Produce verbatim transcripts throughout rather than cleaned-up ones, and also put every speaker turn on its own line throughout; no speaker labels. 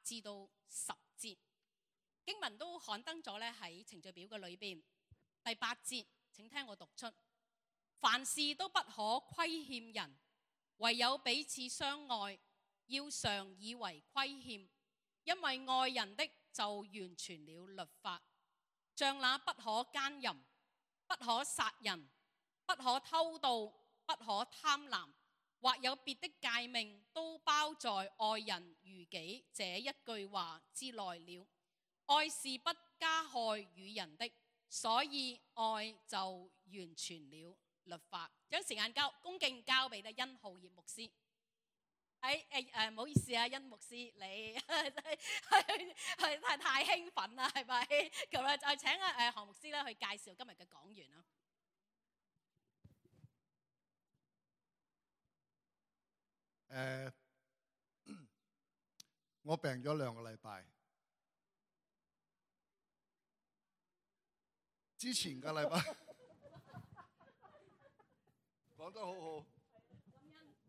至到十節，經文都刊登咗咧喺程序表嘅裏邊。第八節，請聽我讀出：凡事都不可虧欠人，唯有彼此相愛，要常以為虧欠，因為愛人的就完全了律法。像那不可姦淫、不可殺人、不可偷盜、不可貪婪，或有別的誡命，都包在愛人如己這一句話之內了。愛是不加害與人的，所以愛就完全了律法。將時間交恭敬交俾咧殷浩業牧師。誒誒誒，唔好意思啊，殷牧師，你係係太太興奮啦，係咪？咁啊，就請啊誒韓牧師咧去介紹今日嘅講員啦。
誒，我病咗兩個禮拜，之前個禮拜講得好好，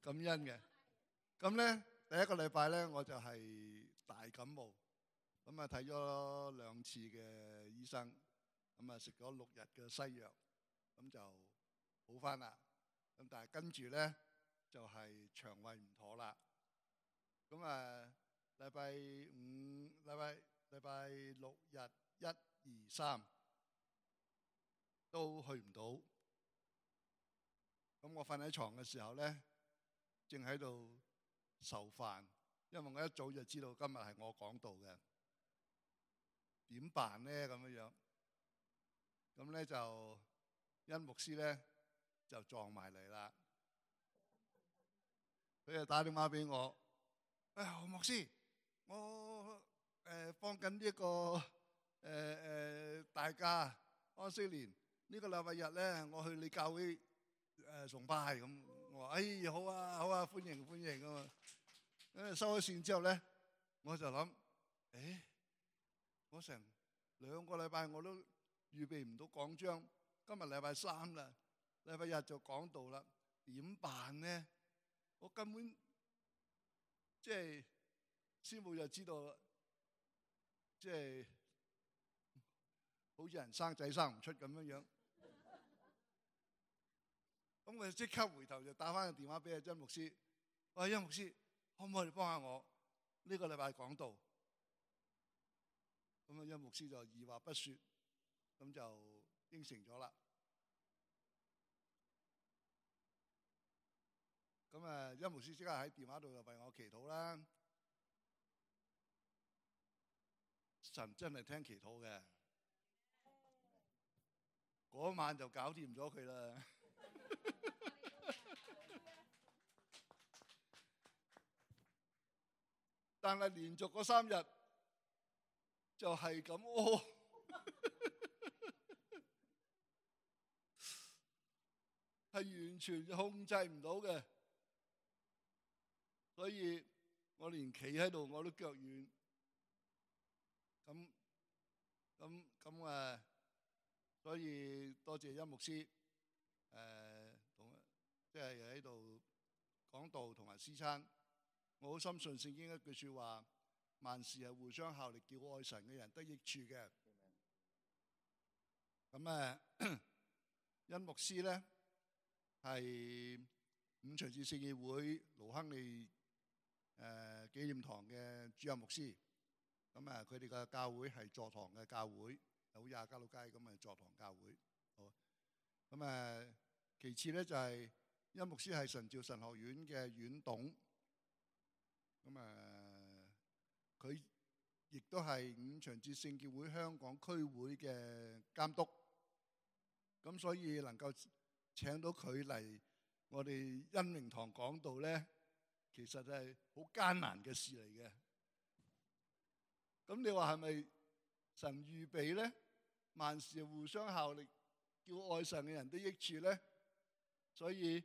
感恩嘅。咁咧，第一個禮拜咧，我就係大感冒，咁啊睇咗兩次嘅醫生，咁啊食咗六日嘅西藥，咁就好返啦。咁但係跟住咧就係腸胃唔妥啦。咁啊，禮拜五、禮拜禮拜六日一二三都去唔到。咁我瞓喺床嘅時候咧，正喺度受煩，因為我一早就知道今日係我講道嘅，點辦咧咁樣樣？咁咧就殷牧師咧就撞埋嚟啦，佢就打電話俾我，誒何牧師，我誒放緊呢一個誒誒大假安息年呢個禮拜日咧，我去你教會誒崇拜咁。我話哎好啊好啊，歡迎歡迎咁啊！咁收咗線之後咧，我就諗，誒，我成兩個禮拜我都預備唔到講章，今日禮拜三啦，禮拜日就講道啦，點辦呢？我根本即係師母就知道，即係好似人生仔生唔出咁樣樣。咁我即刻回頭就打翻個電話俾阿殷牧師，喂，殷牧師，可唔可以幫下我呢個禮拜講道？咁啊，殷牧師就二話不說，咁就應承咗啦。咁啊，殷牧師即刻喺電話度就為我祈禱啦。神真係聽祈禱嘅，嗰晚就搞掂咗佢啦。但係連續嗰三日就係咁屙，係完全控制唔到嘅，所以我連企喺度我都腳軟。咁咁咁誒，所以多謝殷牧師誒同即係喺度講道同埋詩餐。我好深信聖經一句説話，萬事係互相效力，叫愛神嘅人得益處嘅。咁誒，殷牧師咧係五旬節聖義會盧亨利誒紀念堂嘅主任牧師。咁啊，佢哋嘅教會係座堂嘅教會，好似亞皆老街咁嘅座堂教會。好，咁誒，其次咧就係殷牧師係神召神學院嘅院董。咁啊，佢亦都係五旬節聖潔會香港區會嘅監督，咁所以能夠請到佢嚟我哋恩明堂講道咧，其實係好艱難嘅事嚟嘅。咁你話係咪神預備咧？萬事互相效力，叫愛神嘅人得益處咧？所以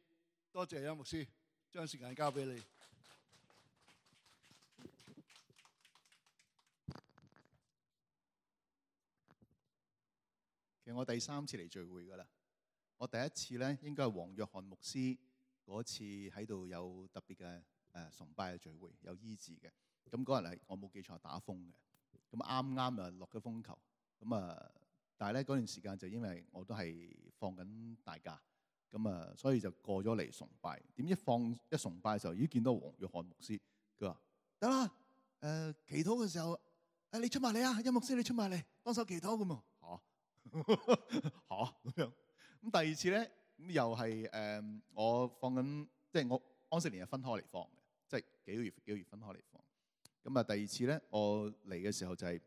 多謝殷牧師，將時間交俾你。
其實我第三次嚟聚會㗎啦，我第一次咧應該係黃約翰牧師嗰次喺度有特別嘅誒崇拜嘅聚會，有醫治嘅。咁嗰日係我冇記錯打風嘅，咁啱啱啊落咗風球，咁啊但係咧嗰段時間就因為我都係放緊大假，咁啊所以就過咗嚟崇拜。點知放一崇拜嘅時候，已經見到黃約翰牧師，佢話得啦，誒、呃、祈禱嘅時候，誒你出埋嚟啊，殷牧師你出埋嚟幫手祈禱咁啊嚇嚇咁樣。咁第二次咧，咁又係誒、呃、我放緊，即係我安息年係分開嚟放嘅，即係幾個月幾個月分開嚟放。咁啊第二次咧，我嚟嘅時候就係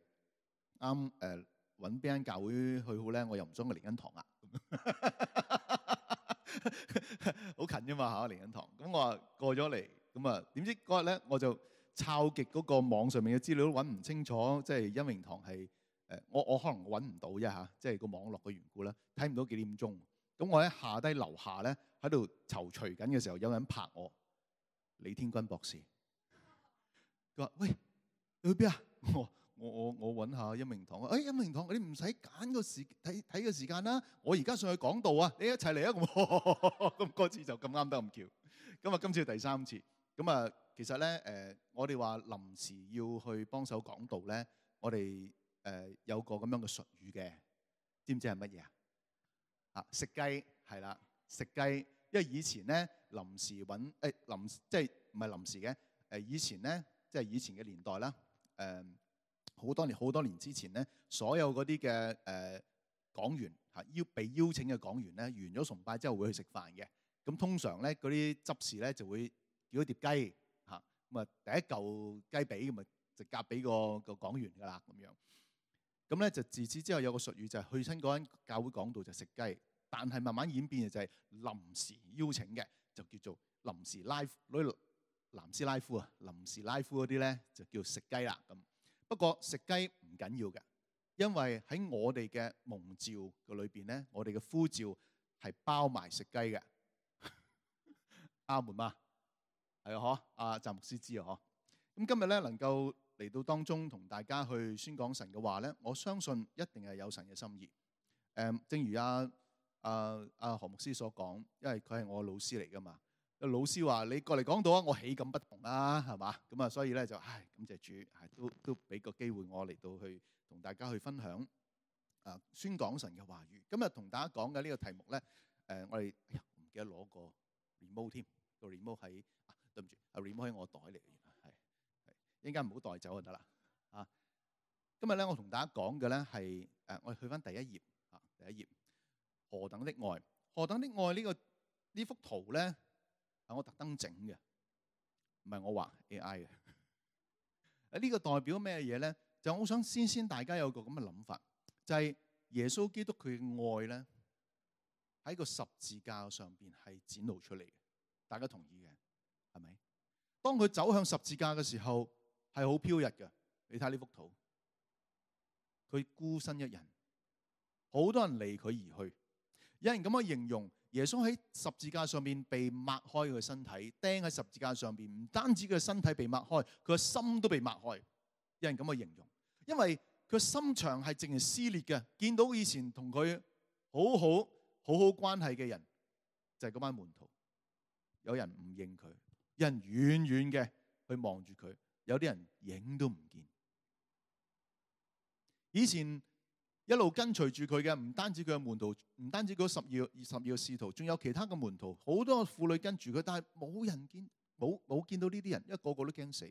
啱誒揾邊間教會去好咧，我又唔想去靈恩堂啊，好近啫嘛嚇靈恩堂。咁我話過咗嚟，咁啊點知嗰日咧我就抄極嗰個網上面嘅資料都揾唔清楚，即係恩榮堂係誒我我可能揾唔到啫嚇，即係個網絡嘅緣故啦，睇唔到幾點鐘。咁我喺下低樓下咧喺度躊躇緊嘅時候，有人拍我，李天君博士。佢話：喂，你去邊啊？我我我我揾下恩榮堂。誒恩榮堂，你唔使揀個時睇睇個時間啦。我而家上去講道啊，你一齊嚟啊！咁嗰次就咁啱得咁巧。咁啊，今次第三次。咁啊，其實咧誒、呃，我哋話臨時要去幫手講道咧，我哋誒、呃、有個咁樣嘅術語嘅，知唔知係乜嘢啊？啊，食雞係啦，食雞。因為以前咧臨時揾誒臨即係唔係臨時嘅誒，以前咧。即係以前嘅年代啦，誒、呃、好多年好多年之前咧，所有嗰啲嘅誒講員嚇邀被邀請嘅講員咧，完咗崇拜之後會去食飯嘅。咁通常咧嗰啲執事咧就會叫一碟雞嚇，咁啊第一嚿雞髀咁啊就夾俾個個講員㗎啦咁樣。咁咧就自此之後有個術語就係去親嗰間教會講道就食雞，但係慢慢演變嘅就係臨時邀請嘅，就叫做臨時拉攞南斯拉夫啊，臨時拉夫嗰啲咧就叫食雞啦咁。不過食雞唔緊要嘅，因為喺我哋嘅蒙召嘅裏邊咧，我哋嘅呼召係包埋食雞嘅。阿門嘛，係啊，嗬，阿詹牧師知啊，嗬。咁今日咧能夠嚟到當中同大家去宣講神嘅話咧，我相信一定係有神嘅心意。誒，正如阿阿阿何牧師所講，因為佢係我老師嚟噶嘛。老師話：你過嚟講道啊，我豈敢不同啦，係嘛？咁啊，所以咧就唉，感謝主，係都都俾個機會我嚟到去同大家去分享啊，宣講神嘅話語。今日同大家講嘅呢個題目咧，誒，我哋哎呀唔記得攞個 remote 添，個 remote 喺啊，對唔住，啊 remote 喺我袋嚟嘅，原來係係一陣間唔好帶走就得啦啊！今日咧，我同大家講嘅咧係誒，我哋去翻第一頁啊，第一頁何等的愛，何等的愛呢個呢幅圖咧。係我特登整嘅，唔係我畫 A I 嘅。啊，呢個代表咩嘢咧？就我想先先大家有個咁嘅諗法，就係耶穌基督佢嘅愛咧，喺個十字架上邊係展露出嚟嘅。大家同意嘅係咪？當佢走向十字架嘅時候，係好飄逸嘅。你睇呢幅圖，佢孤身一人，好多人離佢而去。有人咁樣形容。耶穌喺十字架上面被擘開佢嘅身體，釘喺十字架上邊，唔單止佢嘅身體被擘開，佢嘅心都被擘開。有人咁嘅形容，因為佢心腸係淨係撕裂嘅。見到以前同佢好好好好關係嘅人，就係嗰班門徒。有人唔認佢，有人遠遠嘅去望住佢，有啲人影都唔見。以前一路跟隨住佢嘅，唔單止佢嘅門徒，唔單止嗰十二二十二個使徒，仲有其他嘅門徒，好多婦女跟住佢，但係冇人見，冇冇見到呢啲人，因為個個都驚死。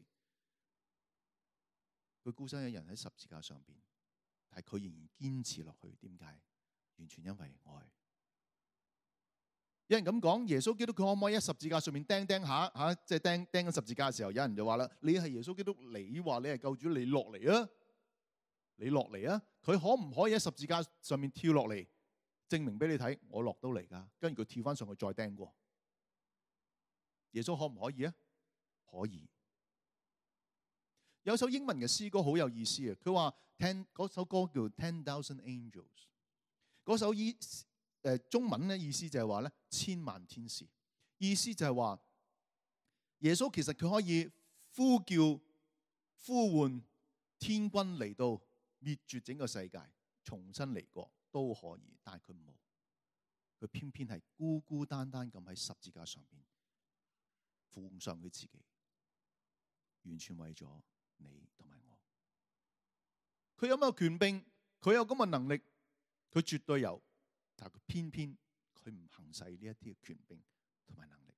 佢孤身一人喺十字架上邊，但係佢仍然堅持落去。點解？完全因為愛。有人咁講，耶穌基督佢可唔可以喺十字架上面釘釘下吓？即係釘釘緊十字架嘅時候，有人就話啦：你係耶穌基督，你話你係救主，你落嚟啊！你落嚟啊！佢可唔可以喺十字架上面跳落嚟，證明俾你睇我落到嚟噶？跟住佢跳翻上去再釘過。耶穌可唔可以啊？可以。有首英文嘅詩歌好有意思啊！佢話 ten 嗰首歌叫 Ten Thousand Angels。嗰首意誒中文咧意思就係話咧千萬天使，意思就係話耶穌其實佢可以呼叫呼喚天軍嚟到。滅絕整個世界，重新嚟過都可以，但係佢冇，佢偏偏係孤孤單單咁喺十字架上邊奉上佢自己，完全為咗你同埋我。佢有乜嘅權柄？佢有咁嘅能力，佢絕對有，但係佢偏偏佢唔行使呢一啲嘅權柄同埋能力，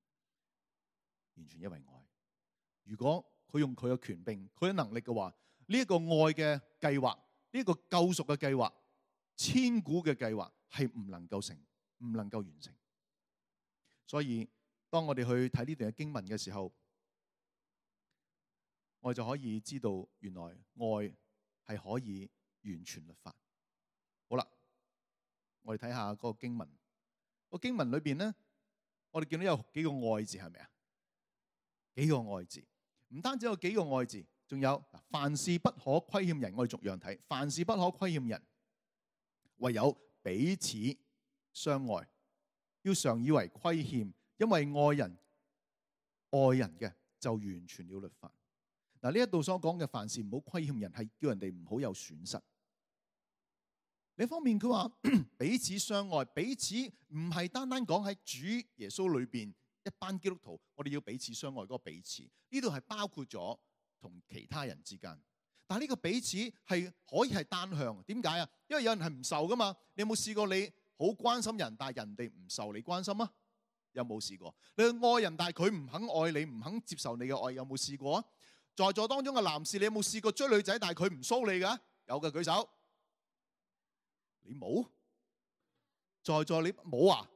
完全因為愛。如果佢用佢嘅權柄、佢嘅能力嘅話，呢一個愛嘅計劃，呢一個救贖嘅計劃、千古嘅計劃係唔能夠成、唔能夠完成。所以當我哋去睇呢段嘅經文嘅時候，我哋就可以知道原來愛係可以完全律法。好啦，我哋睇下嗰個經文。個經文裏邊咧，我哋見到有幾個愛字，係咪啊？幾個愛字，唔單止有幾個愛字，仲有凡事不可虧欠人。我哋逐樣睇，凡事不可虧欠人，唯有彼此相愛，要常以為虧欠，因為愛人愛人嘅就完全了律法。嗱，呢一度所講嘅凡事唔好虧欠人，係叫人哋唔好有損失。另一方面佢話彼此相愛，彼此唔係單單講喺主耶穌裏邊一班基督徒，我哋要彼此相愛嗰個彼此，呢度係包括咗同其他人之間。但係呢個彼此係可以係單向，點解啊？因為有人係唔受噶嘛。你有冇試過你好關心人，但係人哋唔受你關心啊？有冇試過？你去愛人，但係佢唔肯愛你，唔肯接受你嘅愛，有冇試過啊？在座當中嘅男士，你有冇試過追女仔，但係佢唔騷你㗎？有嘅舉手。你冇？在座你冇啊？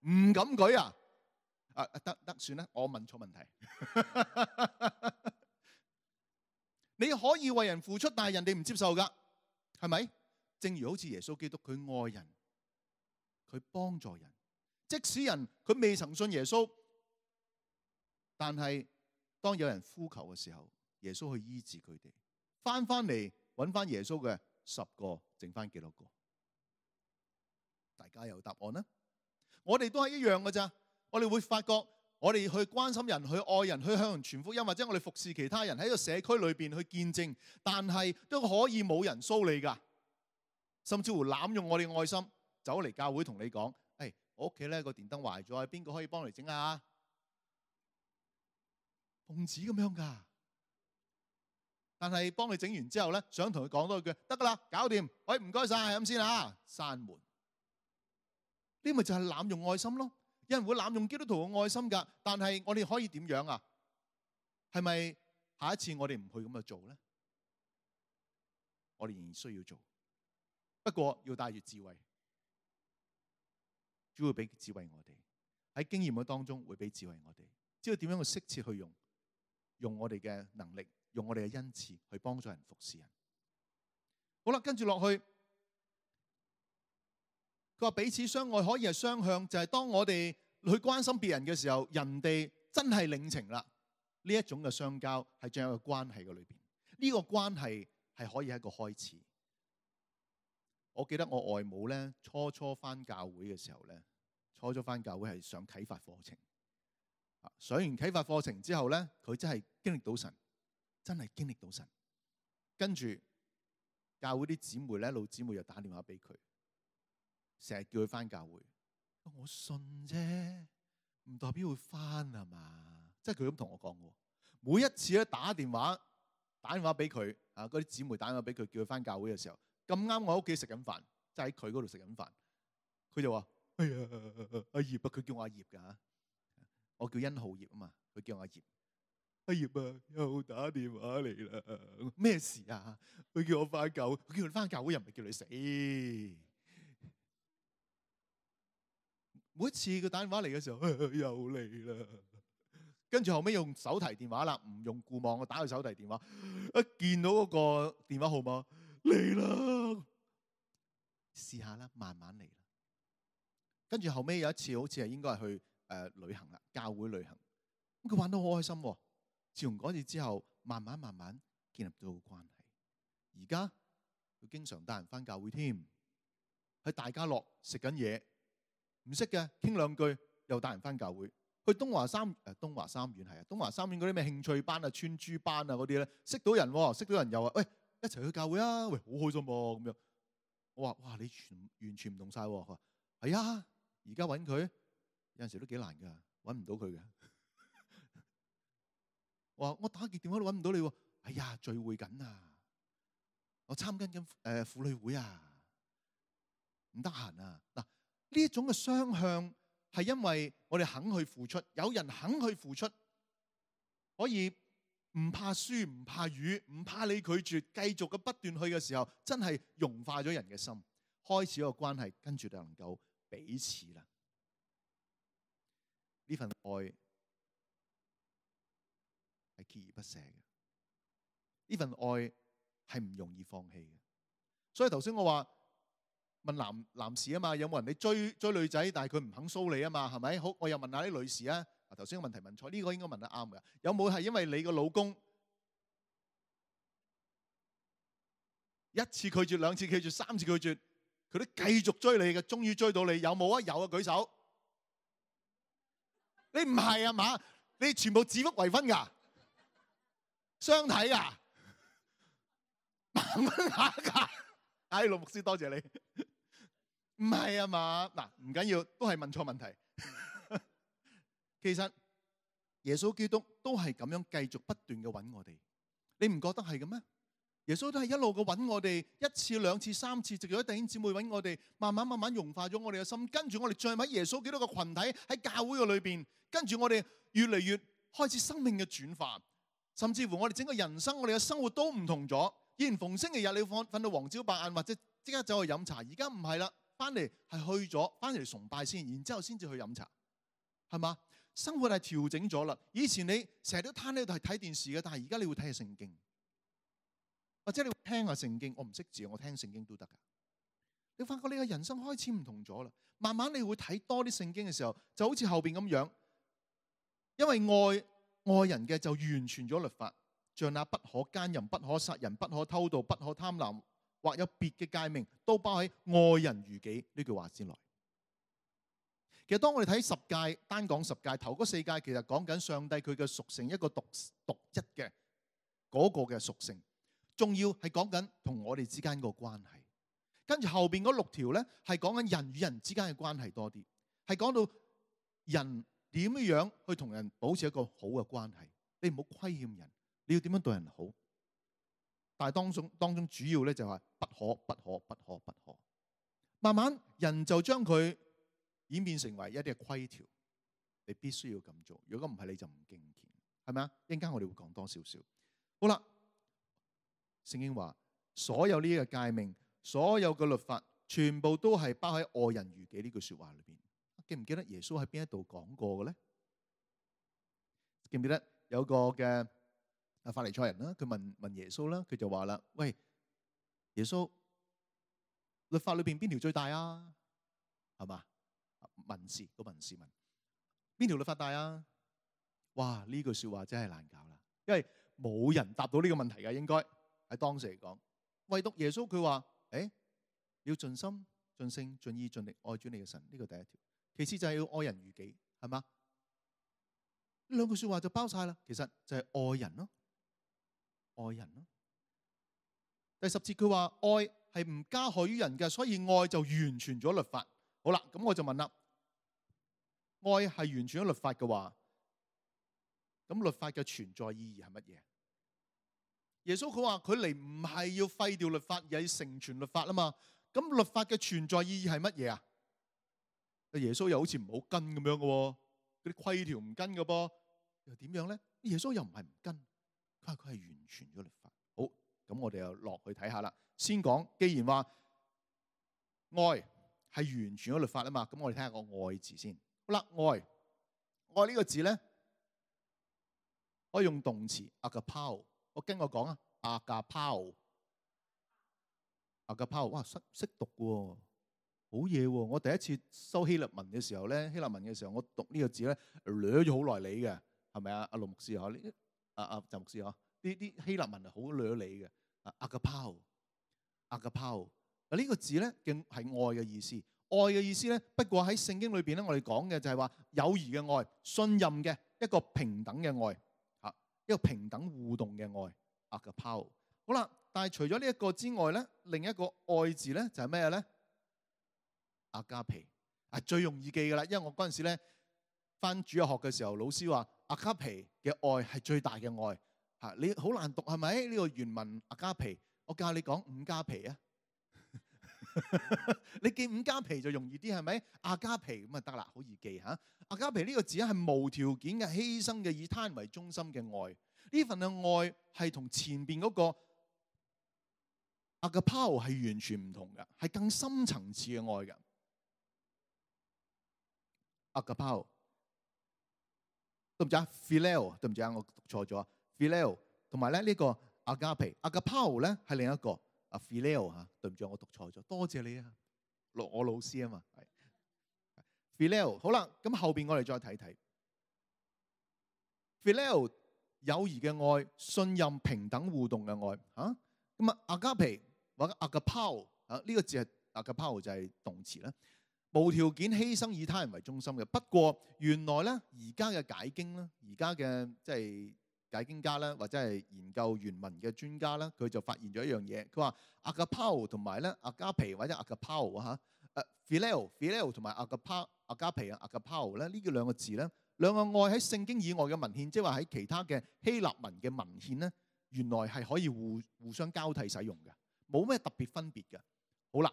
唔敢舉啊？啊得得算啦，我問錯問題。你可以為人付出，但係人哋唔接受㗎，係咪？正如好似耶穌基督，佢愛人，佢幫助人，即使人佢未曾信耶穌，但係當有人呼求嘅時候，耶穌去醫治佢哋，翻翻嚟揾翻耶穌嘅十個，剩翻幾多個？大家有答案啦。我哋都係一樣嘅咋。我哋會發覺，我哋去關心人、去愛人、去向人傳福音，或者我哋服侍其他人喺個社區裏邊去見證，但係都可以冇人騷你㗎，甚至乎濫用我哋愛心，走嚟教會同你講：誒，我屋企咧個電燈壞咗，邊個可以幫你整啊？奉旨咁樣㗎。但係幫你整完之後咧，想同佢講多一句，得㗎啦，搞掂，喂，唔該晒，係咁先啊，閂門。呢咪就係濫用愛心咯。有人會濫用基督徒嘅愛心㗎，但係我哋可以點樣啊？係咪下一次我哋唔去咁樣做咧？我哋仍然需要做，不過要帶住智慧，主會俾智慧我哋喺經驗嘅當中會俾智慧我哋，知道點樣去適切去用，用我哋嘅能力，用我哋嘅恩賜去幫助人服侍人。好啦，跟住落去。佢話彼此相愛可以係雙向，就係當我哋去關心別人嘅時候，人哋真係領情啦。呢一種嘅相交係仲有個關係嘅裏邊，呢個關係係可以係一個開始。我記得我外母咧，初初返教會嘅時候咧，初初返教會係上啟發課程。上完啟發課程之後咧，佢真係經歷到神，真係經歷到神。跟住教會啲姊妹咧，老姊妹又打電話俾佢。成日叫佢翻教會，我信啫，唔代表會翻啊嘛。即係佢咁同我講嘅。每一次咧打電話打電話俾佢啊，嗰啲姊妹打電話俾佢，叫佢翻教會嘅時候，咁啱我喺屋企食緊飯，即係喺佢嗰度食緊飯，佢就話：哎呀，阿葉啊，佢叫我阿葉㗎嚇，我叫殷浩葉啊嘛，佢叫我阿葉。阿葉啊，又打電話嚟啦，咩事啊？佢叫我翻教會，佢叫你翻教會又唔係叫你死。每一次佢打電話嚟嘅時候，又嚟啦。跟住後尾用手提電話啦，唔用固網，我打佢手提電話。一見到嗰個電話號碼嚟啦，試下啦，慢慢嚟啦。跟住後尾有一次，好似係應該係去誒、呃、旅行啦，教會旅行。咁佢玩得好開心喎。自從嗰次之後，慢慢慢慢建立到關係。而家佢經常帶人翻教會添，喺大家樂食緊嘢。唔識嘅傾兩句，又帶人翻教會。去東華三誒東華三院係啊，東華三院嗰啲咩興趣班啊、穿珠班啊嗰啲咧，識到人喎，識到人又話喂，一齊去教會啊，喂，好開心喎咁樣。我話哇，你全完全唔同晒喎。佢話係啊，而家揾佢有陣時都幾難㗎，揾唔到佢嘅。我話我打極電話都揾唔到你喎。哎呀，聚會緊啊！我參加緊誒婦女會啊，唔得閒啊。嗱，呢一種嘅雙向係因為我哋肯去付出，有人肯去付出，可以唔怕輸、唔怕魚、唔怕你拒絕，繼續嘅不斷去嘅時候，真係融化咗人嘅心，開始一個關係，跟住就能夠彼此啦。呢份愛係鍥而不捨嘅，呢份愛係唔容易放棄嘅。所以頭先我話問男男士啊嘛，有冇人你追追女仔，但係佢唔肯騷你啊嘛，係咪？好，我又問下啲女士啊。嗱，頭先個問題問錯，呢個應該問得啱嘅。有冇係因為你個老公一次拒絕、兩次拒絕、三次拒絕，佢都繼續追你嘅，終於追到你？有冇啊？有啊，舉手。你唔係啊嘛？你全部指腹為婚㗎，相睇啊，盲蚊下㗎。哎，陸牧師多謝你。唔係啊嘛？嗱，唔緊要，都係問錯問題。其實耶穌基督都係咁樣繼續不斷嘅揾我哋，你唔覺得係嘅咩？耶穌都係一路嘅揾我哋，一次、兩次、三次，直到弟兄姊妹揾我哋，慢慢慢慢融化咗我哋嘅心，跟住我哋再喺耶穌基督嘅群體喺教會嘅裏邊，跟住我哋越嚟越開始生命嘅轉化，甚至乎我哋整個人生，我哋嘅生活都唔同咗。以前逢星期日你瞓瞓到黃朝白晏，或者即刻走去飲茶，而家唔係啦，翻嚟係去咗，翻嚟崇拜先，然之後先至去飲茶，係嘛？生活係調整咗啦。以前你成日都攤喺度係睇電視嘅，但係而家你會睇下聖經，或者你會聽下聖經。我唔識字，我聽聖經都得噶。你發覺你嘅人生開始唔同咗啦。慢慢你會睇多啲聖經嘅時候，就好似後邊咁樣，因為愛愛人嘅就完全咗律法，像那不可奸淫、不可殺人、不可偷盜、不可貪婪，或有別嘅誡命，都包喺愛人如己呢句話之內。其實當我哋睇十誡，單講十誡，頭嗰四誡其實講緊上帝佢嘅屬性，一個獨獨一嘅嗰個嘅屬性，仲要係講緊同我哋之間個關係。跟住後邊嗰六條咧，係講緊人與人之間嘅關係多啲，係講到人點樣去同人保持一個好嘅關係。你唔好虧欠人，你要點樣對人好？但係當中當中主要咧就係不可不可不可不可。慢慢人就將佢演變成為一啲嘅規條，你必須要咁做。如果唔係，你就唔敬虔，係咪啊？一陣間我哋會講多少少。好啦，聖經話所有呢個誡命，所有嘅律法，全部都係包喺愛人如己呢句說話裏邊。記唔記得耶穌喺邊一度講過嘅咧？記唔記得有個嘅啊法利賽人啦，佢問問耶穌啦，佢就話啦：喂，耶穌，律法裏邊邊條最大啊？係嘛？文士個文士問邊條律法大啊？哇！呢句說話真係難搞啦，因為冇人答到呢個問題嘅，應該喺當時嚟講，唯獨耶穌佢話：誒，你要盡心、盡性、盡意、盡力愛主你嘅神，呢個第一條。其次就係要愛人如己，係嘛？呢兩句說話就包晒啦。其實就係愛人咯，愛人咯。第十節佢話愛係唔加害於人嘅，所以愛就完全咗律法。好啦，咁我就問啦，愛係完全咗律法嘅話，咁律法嘅存在意義係乜嘢？耶穌佢話佢嚟唔係要廢掉律法，而係成全律法啊嘛。咁律法嘅存在意義係乜嘢啊？耶穌又好似唔好跟咁樣嘅喎，嗰啲規條唔跟嘅噃，又點樣咧？耶穌又唔係唔跟，佢話佢係完全咗律法。好，咁我哋又落去睇下啦。先講，既然話愛係完全咗律法啊嘛，咁我哋睇下個愛字先。好啦，愛愛呢個字咧，可以用動詞 agapao。我跟我講啊 agapao agapao，哇，識識讀嘅喎，好嘢喎！我第一次修希臘文嘅時候咧，希臘文嘅時候我讀呢個字咧，捋咗好耐理嘅，係咪啊？阿盧牧師嗬，呢啊啊鄭牧師嗬，呢啲希臘文係好捋理嘅。啊 agapao agapao 嗱呢個字咧嘅係愛嘅意思。愛嘅意思咧，不過喺聖經裏邊咧，我哋講嘅就係話友誼嘅愛、信任嘅一個平等嘅愛，嚇一個平等互動嘅愛。agapao。好啦，但係除咗呢一個之外咧，另一個愛字咧就係咩咧？阿加皮啊，最容易記噶啦，因為我嗰陣時咧翻主日學嘅時候，老師話阿加皮嘅愛係最大嘅愛嚇，你好難讀係咪？呢個原文阿加皮，我教你講五加皮啊！你記五加皮就容易啲係咪？阿加皮咁啊得啦，好易記嚇。阿加皮呢個字係無條件嘅犧牲嘅，以他人為中心嘅愛。呢份嘅愛係同前邊嗰個阿加拋係完全唔同嘅，係更深層次嘅愛嘅。阿加拋對唔住啊 ，Phileo 對唔住啊，我讀錯咗 Phileo 同埋咧呢個阿加皮，阿加拋咧係另一個。啊 Phileo 嚇，對唔住，我讀錯咗，多謝你啊，我我老師啊嘛，係 Phileo 好啦，咁後邊我哋再睇睇 Phileo 友誼嘅愛、信任、平等互動嘅愛嚇，咁啊阿加皮或者阿加拋啊呢個字係阿加拋就係動詞啦，無條件犧牲以他人為中心嘅。不過原來咧而家嘅解經咧，而家嘅即係解經家咧，或者係研究原文嘅專家咧，佢就發現咗一樣嘢。佢話阿加拋同埋咧阿加皮或者阿加拋嚇，誒 Phileo Phileo 同埋阿加拋阿加皮啊阿加拋咧呢個兩個字咧，兩個愛喺聖經以外嘅文獻，即係話喺其他嘅希臘文嘅文獻咧，原來係可以互互相交替使用嘅，冇咩特別分別嘅。好啦，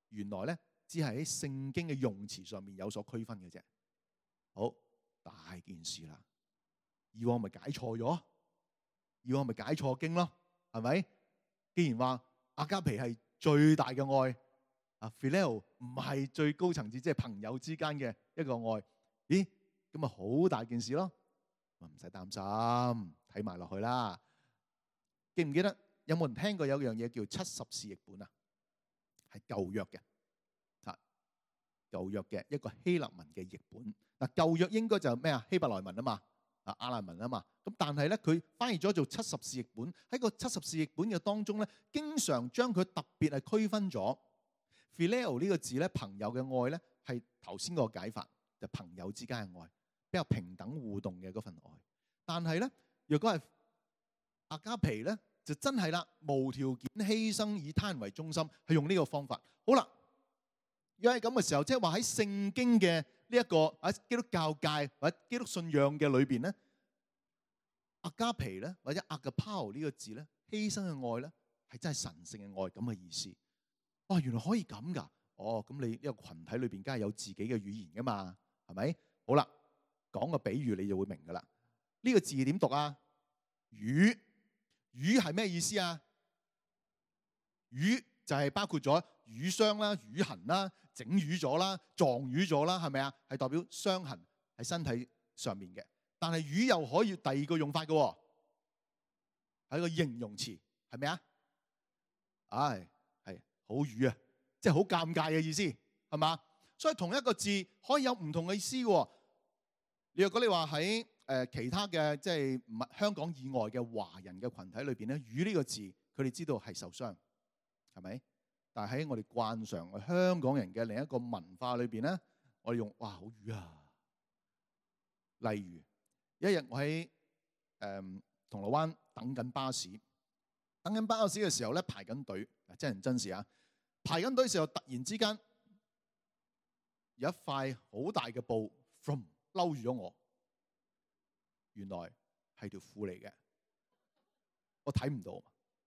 原來咧只係喺聖經嘅用詞上面有所區分嘅啫。好，大件事啦。以往咪解錯咗，以往咪解錯經咯，係咪？既然話阿加皮係最大嘅愛，啊 Phileo 唔係最高層次，即係朋友之間嘅一個愛，咦？咁咪好大件事咯，唔使擔心，睇埋落去啦。記唔記得有冇人聽過有樣嘢叫七十士譯本啊？係舊約嘅，啊舊約嘅一個希臘文嘅譯本。嗱舊約應該就係咩啊？希伯來文啊嘛。啊，亞蘭文啊嘛，咁但係咧，佢翻譯咗做七十士譯本。喺個七十士譯本嘅當中咧，經常將佢特別係區分咗 Phileo 呢個字咧，朋友嘅愛咧係頭先個解法，就朋友之間嘅愛，比較平等互動嘅嗰份愛。但係咧，若果係阿加皮咧，就真係啦，無條件犧牲以他人為中心，係用呢個方法。好啦，如果係咁嘅時候，即係話喺聖經嘅呢一個喺基督教界或者基督信仰嘅裏邊咧，阿加皮咧或者阿加拋呢個字咧，犧牲嘅愛咧係真係神聖嘅愛咁嘅意思。哇，原來可以咁噶！哦，咁你呢個群體裏邊梗係有自己嘅語言噶嘛，係咪？好啦，講個比喻你就會明噶啦。呢個字點讀啊？魚，魚係咩意思啊？魚就係包括咗瘀傷啦、瘀痕啦、整瘀咗啦、撞瘀咗啦，係咪啊？係代表傷痕喺身體上面嘅。但係瘀又可以第二個用法嘅喎，係一個形容詞，係咪啊？唉，係好瘀啊，即係好尷尬嘅意思，係嘛？所以同一個字可以有唔同嘅意思嘅。你若果你話喺誒其他嘅即係唔係香港以外嘅華人嘅群體裏邊咧，瘀呢個字佢哋知道係受傷，係咪？但係喺我哋慣常香港人嘅另一個文化裏邊咧，我哋用哇好瘀啊。例如一日我喺誒、呃、銅鑼灣等緊巴士，等緊巴士嘅時候咧排緊隊，真人真事啊！排緊隊嘅時候突然之間有一塊好大嘅布 from 嬲住咗我，原來係條褲嚟嘅，我睇唔到，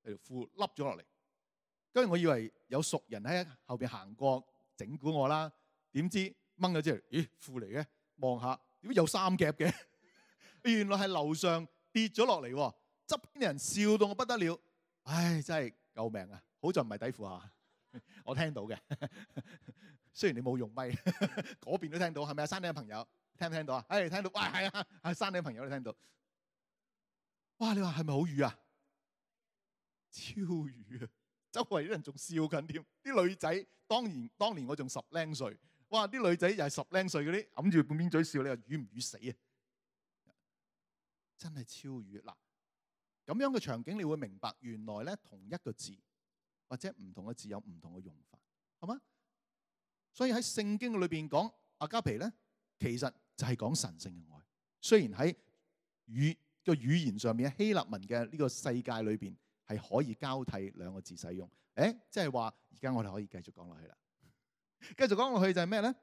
係條褲笠咗落嚟。跟住我以為有熟人喺後邊行過整蠱我啦，點知掹咗出嚟，咦褲嚟嘅，望下點解有三夾嘅？原來係樓上跌咗落嚟，側邊人笑到我不得了，唉真係救命啊！好在唔係底褲啊，我聽到嘅，雖然你冇用咪，嗰邊都聽到，係咪啊？山頂嘅朋友聽唔聽到啊？唉聽到，哇係啊，係山頂嘅朋友都聽到，哇你話係咪好瘀啊？超瘀啊！周圍啲人仲笑緊添，啲女仔當然當年我仲十零歲，哇！啲女仔又係十零歲嗰啲，揞住半邊嘴笑，你話瘀唔瘀死啊？真係超瘀嗱！咁樣嘅場景，你會明白原來咧同一個字或者唔同嘅字有唔同嘅用法，係嘛？所以喺聖經裏邊講阿加皮咧，其實就係講神聖嘅愛。雖然喺語個語言上面，希臘文嘅呢個世界裏邊，係可以交替兩個字使用，誒，即係話而家我哋可以繼續講落去啦。繼續講落去就係咩咧？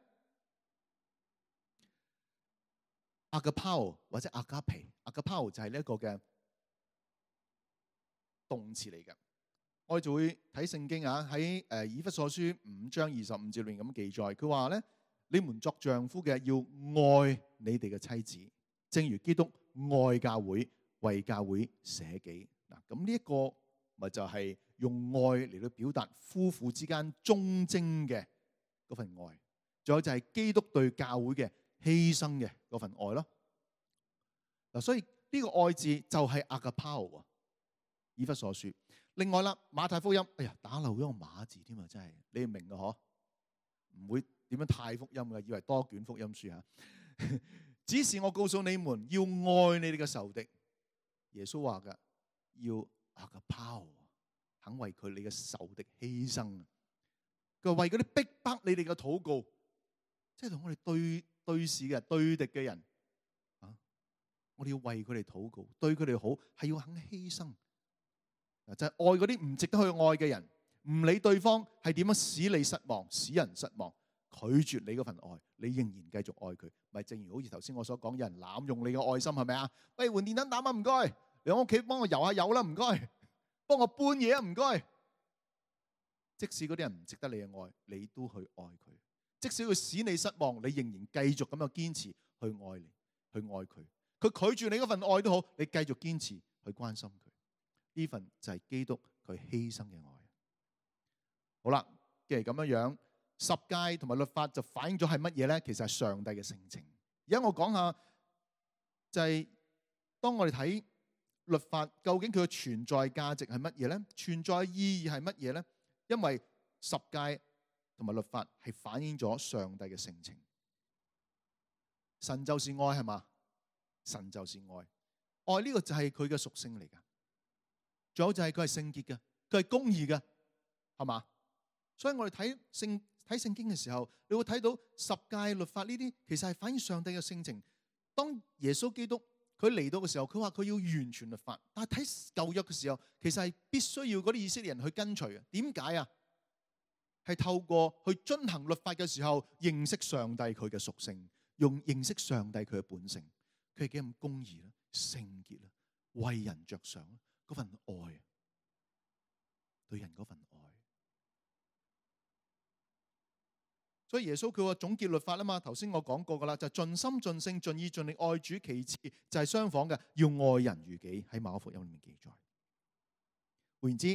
agapao 或者 agape，agapao 就係呢一個嘅動詞嚟嘅。我哋就會睇聖經啊，喺誒以弗所書五章二十五節裏面咁記載，佢話咧：你們作丈夫嘅要愛你哋嘅妻子，正如基督愛教會，為教會捨己。嗱，咁呢一個咪就係用愛嚟到表達夫婦之間忠貞嘅嗰份愛，仲有就係基督對教會嘅犧牲嘅嗰份愛咯。嗱，所以呢個愛字就係 agapao 啊，以弗所書。另外啦，馬太福音，哎呀，打漏咗個馬字添啊，真係你唔明嘅嗬，唔會點樣太福音嘅，以為多卷福音書嚇。只是我告訴你們，要愛你哋嘅仇敵。耶穌話嘅，要 agapao，肯為佢你嘅仇敵犧牲。佢話為嗰啲逼迫你哋嘅禱告，即係同我哋對對視嘅對敵嘅人啊，我哋要為佢哋禱告，對佢哋好，係要肯犧牲。就係愛嗰啲唔值得去愛嘅人，唔理對方係點樣使你失望、使人失望，拒絕你嗰份愛，你仍然繼續愛佢。咪正如好似頭先我所講，有人濫用你嘅愛心，係咪啊？喂，換電燈膽啊，唔該。你喺屋企幫我油下油啦，唔該。幫我搬嘢啊，唔該。即使嗰啲人唔值得你嘅愛，你都去愛佢。即使佢使你失望，你仍然繼續咁樣堅持去愛你，去愛佢。佢拒絕你嗰份愛都好，你繼續堅持去關心佢。呢份就係基督佢犧牲嘅愛。好啦，既然咁樣樣，十誡同埋律法就反映咗係乜嘢咧？其實係上帝嘅性情。而家我講下，就係當我哋睇律法，究竟佢嘅存在價值係乜嘢咧？存在意義係乜嘢咧？因為十誡同埋律法係反映咗上帝嘅性情。神就是愛，係嘛？神就是愛，愛呢個就係佢嘅屬性嚟噶。仲有就係佢係聖潔嘅，佢係公義嘅，係嘛？所以我哋睇聖睇聖經嘅時候，你會睇到十誡律法呢啲，其實係反映上帝嘅性情。當耶穌基督佢嚟到嘅時候，佢話佢要完全律法，但係睇舊約嘅時候，其實係必須要嗰啲以色列人去跟隨嘅。點解啊？係透過去遵行律法嘅時候，認識上帝佢嘅屬性，用認識上帝佢嘅本性，佢係幾咁公義啦、聖潔啦、為人着想。嗰份愛，對人嗰份愛，所以耶穌佢話總結律法啊嘛。頭先我講過噶啦，就盡心盡性盡意盡力愛主。其次就係相仿嘅，要愛人如己，喺馬可福音裏面記載。換言之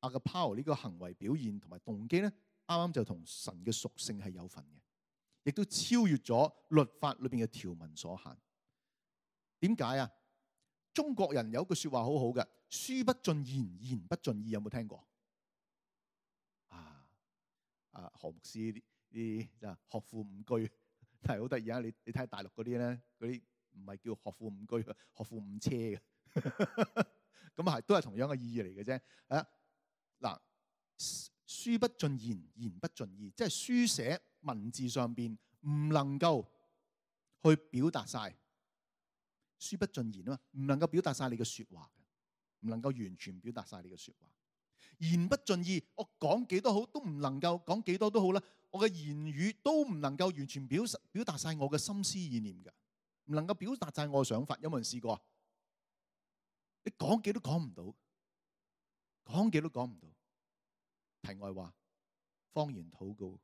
，agapao呢個行為表現同埋動機咧，啱啱就同神嘅屬性係有份嘅，亦都超越咗律法裏邊嘅條文所限。點解啊？中國人有一句說話好好嘅，書不盡言，言不盡意，有冇聽過？啊啊何牧師呢啲就學富五車，係好得意啊！你你睇下大陸嗰啲咧，嗰啲唔係叫學富五車，學富五車嘅，咁啊係都係同樣嘅意義嚟嘅啫。啊嗱，書不盡言，言不盡意，即係書寫文字上邊唔能夠去表達晒。書不盡言啊嘛，唔能夠表達晒你嘅說話嘅，唔能夠完全表達晒你嘅說話。言不盡意，我講幾多好都唔能夠講幾多都好啦，我嘅言語都唔能夠完全表表達晒我嘅心思意念嘅，唔能夠表達晒我嘅想法。有冇人試過啊？你講幾都講唔到，講幾都講唔到。題外話，方言禱告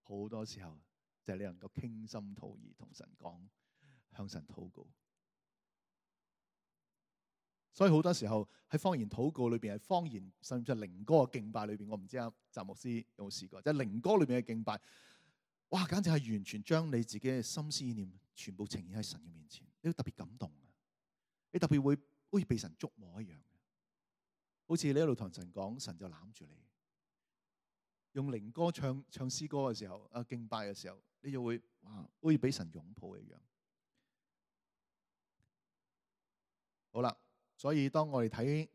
好多時候就係你能夠傾心吐意同神講，向神禱告。所以好多時候喺方言禱告裏邊，係方言甚至係靈歌嘅敬拜裏邊，我唔知阿澤牧師有冇試過，即係靈歌裏邊嘅敬拜，哇，簡直係完全將你自己嘅心思意念全部呈現喺神嘅面前，你都特別感動啊！你特別會好似被神觸摸一樣，好似你一路同神講，神就攬住你。用靈歌唱唱詩歌嘅時候，啊敬拜嘅時候，你就會哇，好似俾神擁抱一樣。好啦。所以當我哋睇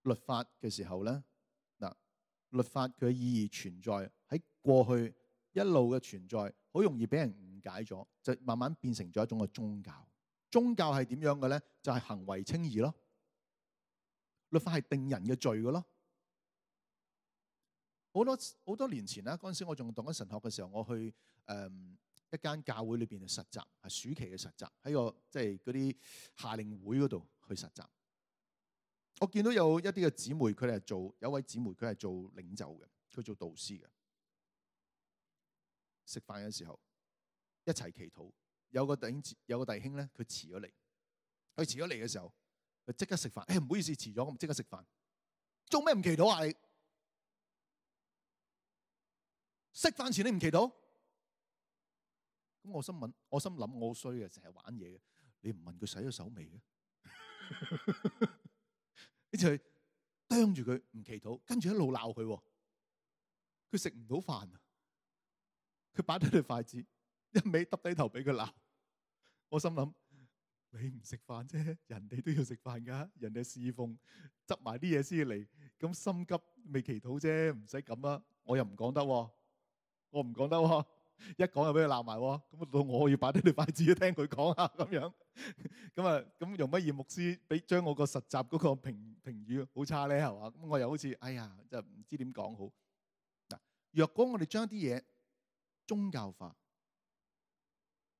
律法嘅時候咧，嗱，律法佢嘅意義存在喺過去一路嘅存在，好容易俾人誤解咗，就慢慢變成咗一種嘅宗教。宗教係點樣嘅咧？就係行為稱義咯。律法係定人嘅罪嘅咯。好多好多年前啦，嗰陣時我仲讀緊神學嘅時候，我去誒一間教會裏邊嘅實習，係暑期嘅實習，喺個即係嗰啲夏令會嗰度去實習。我見到有一啲嘅姊妹，佢哋係做有一位姊妹，佢係做領袖嘅，佢做導師嘅。食飯嘅時候一齊祈禱，有個弟兄有個弟兄咧，佢遲咗嚟，佢遲咗嚟嘅時候，佢即刻食飯。誒，唔好意思，遲咗，咁即刻食飯。做咩唔祈禱啊？你食飯前你唔祈禱？咁我心諗，我心諗我好衰嘅，成日玩嘢嘅。你唔問佢洗咗手未嘅？你就係啄住佢唔祈禱，跟住一路鬧佢。佢食唔到飯啊！佢擺低對筷子，一味耷低頭俾佢鬧。我心諗，你唔食飯啫，人哋都要食飯噶，人哋侍奉執埋啲嘢先嚟，咁心急未祈禱啫，唔使咁啊！我又唔講得，我唔講得，一講就俾佢鬧埋，咁到我要擺低對筷子聽佢講啊，咁樣，咁啊，咁容乜易牧師俾將我個實習嗰個評評語好差咧，係嘛？咁我又好似，哎呀，就唔知點講好。嗱，若果我哋將一啲嘢宗教化，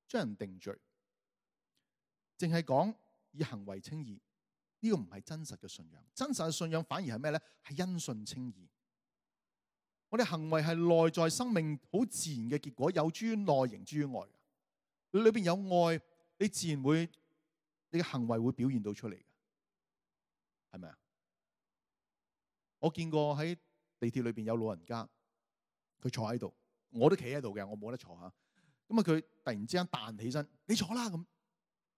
將人定罪，淨係講以行為稱義，呢個唔係真實嘅信仰。真實嘅信仰反而係咩咧？係因信稱義。我哋行為係內在生命好自然嘅結果，有諸於內，形諸於外。你裏邊有愛，你自然會，你嘅行為會表現到出嚟嘅，係咪啊？我見過喺地鐵裏邊有老人家，佢坐喺度，我都企喺度嘅，我冇得坐下。咁啊，佢突然之間彈起身，你坐啦咁。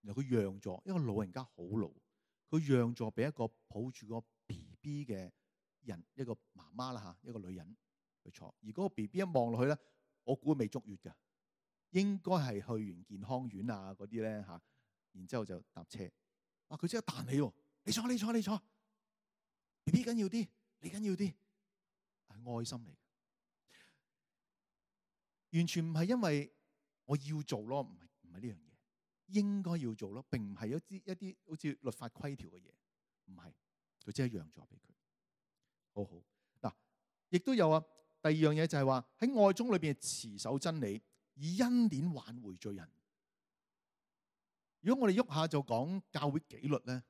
然後佢讓座，因為老人家好老，佢讓座俾一個抱住個 B B 嘅人，一個媽媽啦嚇，一個女人去坐。而嗰個 B B 一望落去咧，我估未足月嘅，應該係去完健康院啊嗰啲咧嚇。然之後就搭車，哇！佢即刻彈起喎，你坐你坐你坐 ，B B 緊要啲，你緊要啲，係愛心嚟嘅，完全唔係因為我要做咯，唔係唔係呢樣嘢。應該要做咯，並唔係一啲一啲好似律法規條嘅嘢，唔係，佢只係讓座俾佢，好好嗱。亦都有啊，第二樣嘢就係話喺愛中裏邊持守真理，以恩典挽回罪人。如果我哋喐下就講教會紀律咧，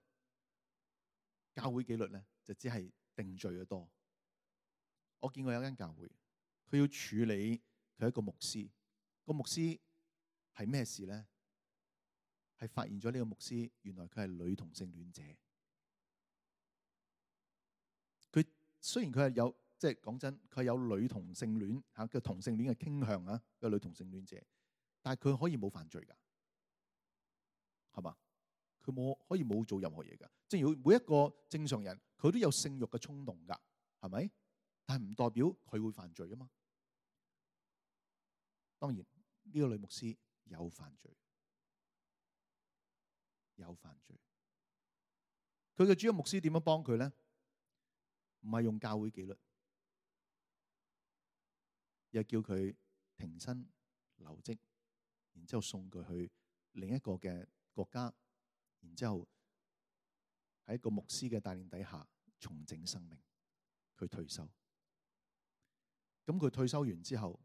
教會紀律咧就只係定罪嘅多。我見過有間教會，佢要處理佢一個牧師，個牧師係咩事咧？係發現咗呢個牧師，原來佢係女同性戀者。佢雖然佢係有，即係講真，佢係有女同性戀嚇嘅同性戀嘅傾向啊，個女同性戀者，但係佢可以冇犯罪㗎，係嘛？佢冇可以冇做任何嘢㗎。即係如果每一個正常人，佢都有性慾嘅衝動㗎，係咪？但係唔代表佢會犯罪啊嘛。當然呢個女牧師有犯罪。有犯罪，佢嘅主要牧師點樣幫佢咧？唔係用教會紀律，又叫佢停薪留職，然之後送佢去另一個嘅國家，然之後喺一個牧師嘅帶領底下重整生命。佢退休，咁佢退休完之後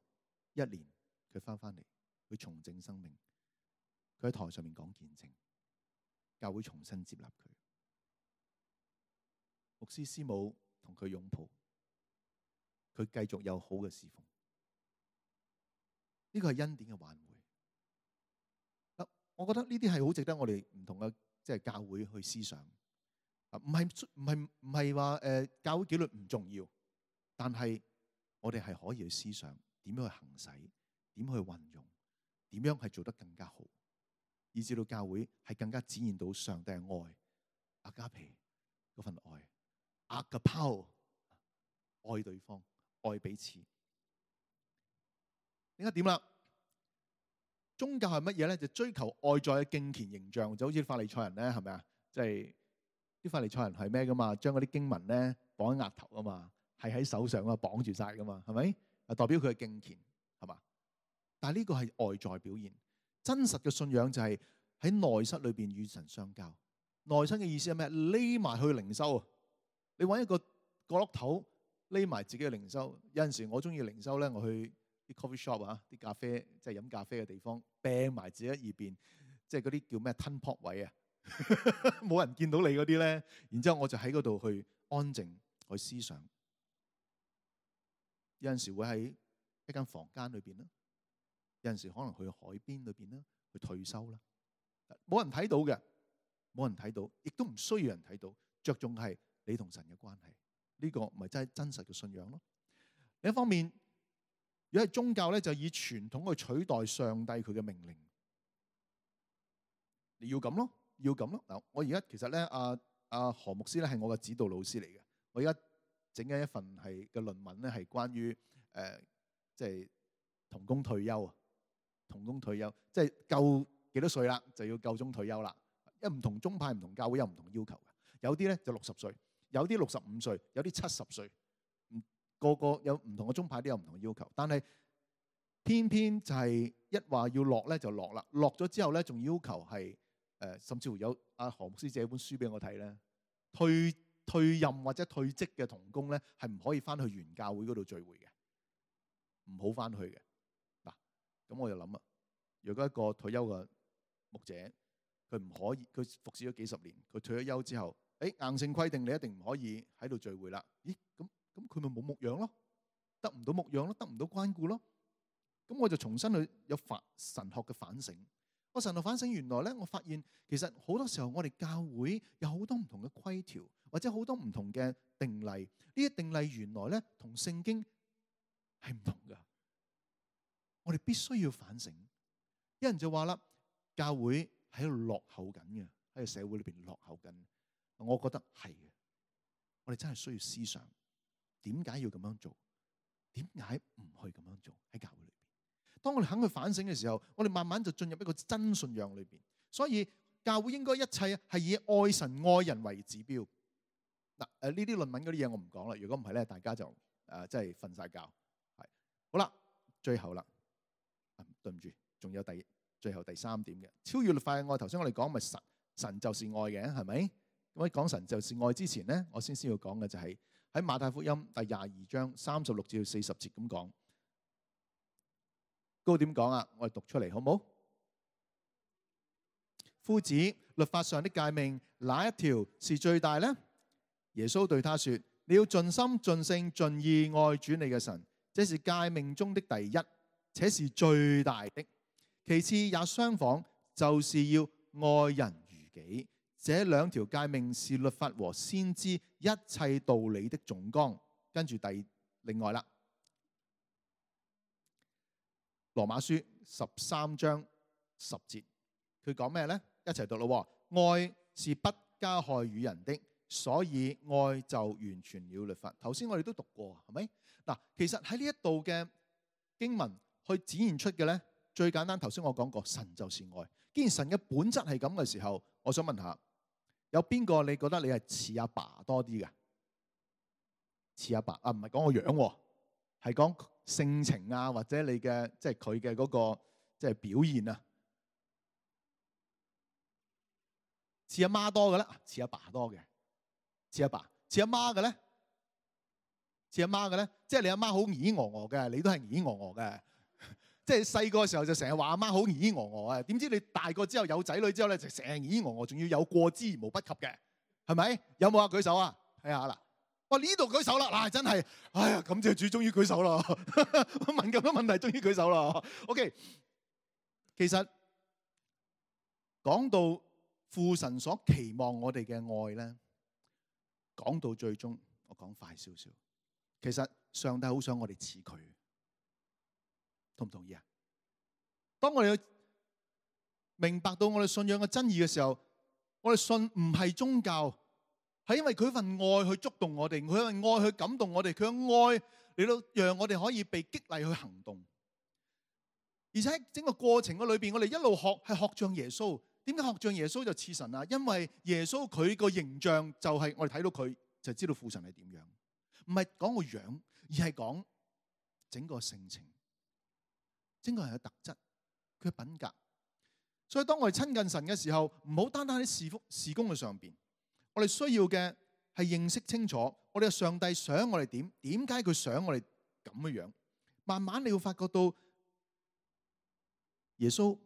一年，佢翻返嚟，佢重整生命。佢喺台上面講見證。教會重新接納佢，牧師師母同佢擁抱，佢繼續有好嘅侍奉。呢個係恩典嘅挽回。我覺得呢啲係好值得我哋唔同嘅即係教會去思想。啊，唔係唔係唔係話誒教會紀律唔重要，但係我哋係可以去思想點樣去行使，點去運用，點樣係做得更加好。以至到教會係更加展現到上帝嘅愛，阿加皮嗰份愛，阿加拋愛對方，愛彼此。另一點啦，宗教係乜嘢咧？就追求外在嘅敬虔形象，就好似法利賽人咧，係咪啊？即係啲法利賽人係咩噶嘛？將嗰啲經文咧綁喺額頭啊嘛，係喺手上啊綁住晒噶嘛，係咪？啊，代表佢嘅敬虔係嘛？但係呢個係外在表現。真實嘅信仰就係喺內室裏邊與神相交。內室嘅意思係咩？匿埋去靈修啊！你揾一個角落頭匿埋自己嘅靈修。有陣時我中意靈修咧，我去啲 coffee shop 啊，啲咖啡即係飲咖啡嘅地方，掟埋自己喺耳邊，即係嗰啲叫咩吞泡位啊，冇人見到你嗰啲咧。然之後我就喺嗰度去安靜去思想。有陣時會喺一間房間裏邊啦，有陣時可能去海邊裏邊啦，去退休啦，冇人睇到嘅，冇人睇到，亦都唔需要人睇到。着重係你同神嘅關係，呢個咪真係真實嘅信仰咯。另一方面，如果係宗教咧，就以傳統去取代上帝佢嘅命令。你要咁咯，要咁咯。嗱，我而家其實咧，阿阿何牧師咧係我嘅指導老師嚟嘅。我而家整緊一份係嘅論文咧，係關於誒，即係同工退休啊。同工退休，即係夠幾多歲啦，就要夠鐘退休啦。因為唔同宗派、唔同教會有唔同要求嘅。有啲咧就六十歲，有啲六十五歲，有啲七十歲。個個有唔同嘅宗派都有唔同嘅要求，但係偏偏就係一話要落咧就落啦。落咗之後咧，仲要求係誒、呃，甚至乎有阿何牧師借本書俾我睇咧，退退任或者退職嘅同工咧，係唔可以翻去原教會嗰度聚會嘅，唔好翻去嘅。嗱，咁我就諗啊，如果一個退休嘅牧者，佢唔可以，佢服侍咗幾十年，佢退咗休之後，誒硬性規定你一定唔可以喺度聚會啦。咦，咁咁佢咪冇牧養咯，得唔到牧養咯，得唔到關顧咯。咁我就重新去有反神學嘅反省。我神學反省，原來咧，我發現其實好多時候我哋教會有好多唔同嘅規條，或者好多唔同嘅定例。呢啲定例原來咧同聖經係唔同㗎。我哋必須要反省。有人就話啦，教會喺度落後緊嘅，喺個社會裏邊落後緊。我覺得係嘅，我哋真係需要思想，點解要咁樣做？點解唔去咁樣做？喺教會裏邊，當我哋肯去反省嘅時候，我哋慢慢就進入一個真信仰裏邊。所以教會應該一切係以愛神愛人為指標。嗱，誒呢啲論文嗰啲嘢我唔講啦。如果唔係咧，大家就誒即係瞓晒覺。係好啦，最後啦，對唔住，仲有第最後第三點嘅超越律法嘅愛。頭先我哋講咪神神就是愛嘅，係咪？咁喺講神就是愛之前咧，我先先要講嘅就係喺馬太福音第廿二章三十六至四十節咁講。嗰個點講啊？我哋讀出嚟好唔好？夫子，律法上的誡命哪一條是最大呢？耶穌對他說：你要盡心盡性盡意愛主你嘅神，這是誡命中的第一，且是最大的。其次也相仿，就是要愛人如己。這兩條誡命是律法和先知一切道理的總綱。跟住第另外啦，羅馬書十三章十節，佢講咩呢？一齊讀咯。愛是不加害於人的，所以愛就完全了律法。頭先我哋都讀過，係咪？嗱，其實喺呢一度嘅經文去展現出嘅呢，最簡單，頭先我講過，神就是愛。既然神嘅本質係咁嘅時候，我想問下，有邊個你覺得你係似阿爸多啲嘅？似阿爸啊，唔係講個樣喎，係講性情啊，或者你嘅即係佢嘅嗰個即係表現啊。似阿媽多嘅咧，似阿爸多嘅。似阿爸，似阿媽嘅咧，似阿媽嘅咧，即係你阿媽好耳耳鵝鵝嘅，你都係耳耳鵝鵝嘅。即係細個嘅時候就成日話阿媽好耳耳鵝鵝啊，點知你大個之後有仔女之後咧，就成日耳耳鵝鵝，仲要有過之而無不及嘅，係咪？有冇啊？舉手啊！睇下啦。哇！呢度舉手啦，嗱，真係，哎呀，感謝主，終於舉手啦。問咁多問題，終於舉手啦。OK， 其實講到父神所期望我哋嘅愛咧，講到最終，我講快少少。其實上帝好想我哋似佢，同唔同意啊？當我哋明白到我哋信仰嘅真義嘅時候，我哋信唔係宗教，係因為佢份愛去觸動我哋，佢份愛去感動我哋，佢嘅愛嚟到讓我哋可以被激勵去行動。而且喺整個過程嘅裏邊，我哋一路學係學像耶穌。點解學像耶穌就似神啊？因為耶穌佢個形象就係我哋睇到佢就知道父神係點樣，唔係講個樣，而係講整個性情、整個人嘅特質、佢嘅品格。所以當我哋親近神嘅時候，唔好單單喺事福事工嘅上邊，我哋需要嘅係認識清楚我哋嘅上帝想我哋點，點解佢想我哋咁嘅樣。慢慢你會發覺到耶穌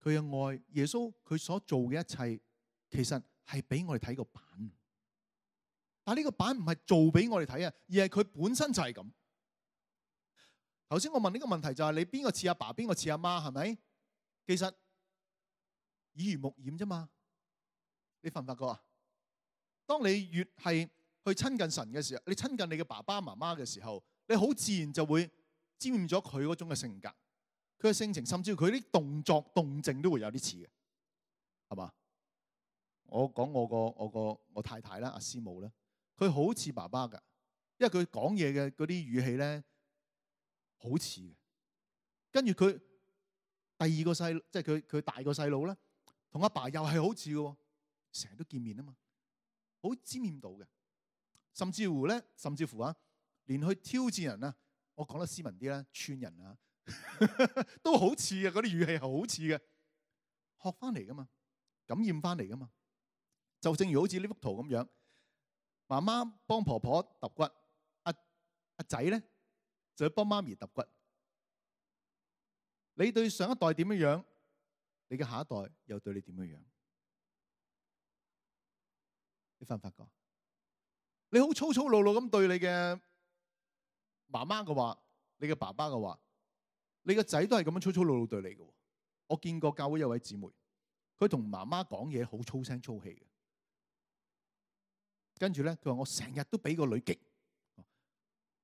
佢嘅愛，耶穌佢所做嘅一切，其實係俾我哋睇個版。但係呢個版唔係做俾我哋睇啊，而係佢本身就係咁。頭先我問呢個問題就係你邊個似阿爸，邊個似阿媽，係咪？其實耳濡目染啫嘛。你發唔發覺啊？當你越係去親近神嘅時候，你親近你嘅爸爸媽媽嘅時候，你好自然就會沾染咗佢嗰種嘅性格，佢嘅性情，甚至佢啲動作動靜都會有啲似嘅，係嘛？我講我個我個我太太啦，阿師母咧，佢好似爸爸㗎，因為佢講嘢嘅嗰啲語氣咧好似嘅。跟住佢第二個細，即係佢佢大個細佬咧，同阿爸又係好似嘅，成日都見面啊嘛，好沾染到嘅。甚至乎咧，甚至乎啊，連去挑戰人啊，我講得斯文啲啦，串人啊，都好似嘅，嗰啲語氣係好似嘅，學翻嚟噶嘛，感染翻嚟噶嘛。就正如好似呢幅圖咁樣，媽媽幫婆婆揼骨，阿阿仔咧就去幫媽咪揼骨。你對上一代點樣樣，你嘅下一代又對你點樣樣？你發唔發覺？你好粗粗魯魯咁對你嘅媽媽嘅話，你嘅爸爸嘅話，你個仔都係咁樣粗粗魯魯對你嘅。我見過教會有位姊妹，佢同媽媽講嘢好粗聲粗氣嘅，跟住咧佢話我成日都俾個女激，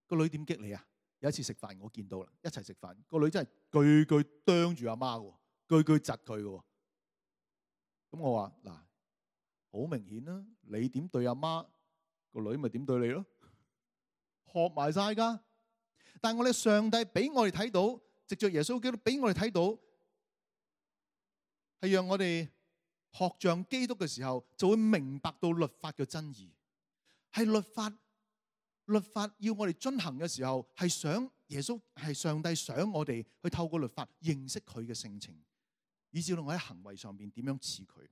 個女點激你啊？有一次食飯我見到啦，一齊食飯，個女真係句句啄住阿媽嘅，句句窒佢嘅。咁我話嗱，好明顯啦，你點對阿媽，個女咪點對你咯，學埋晒噶。但係我哋上帝俾我哋睇到，藉着耶穌基督俾我哋睇到，係讓我哋學像基督嘅時候，就會明白到律法嘅真義。係律法，律法要我哋遵行嘅時候，係想耶穌係上帝想我哋去透過律法認識佢嘅性情，以至到我喺行為上邊點樣似佢。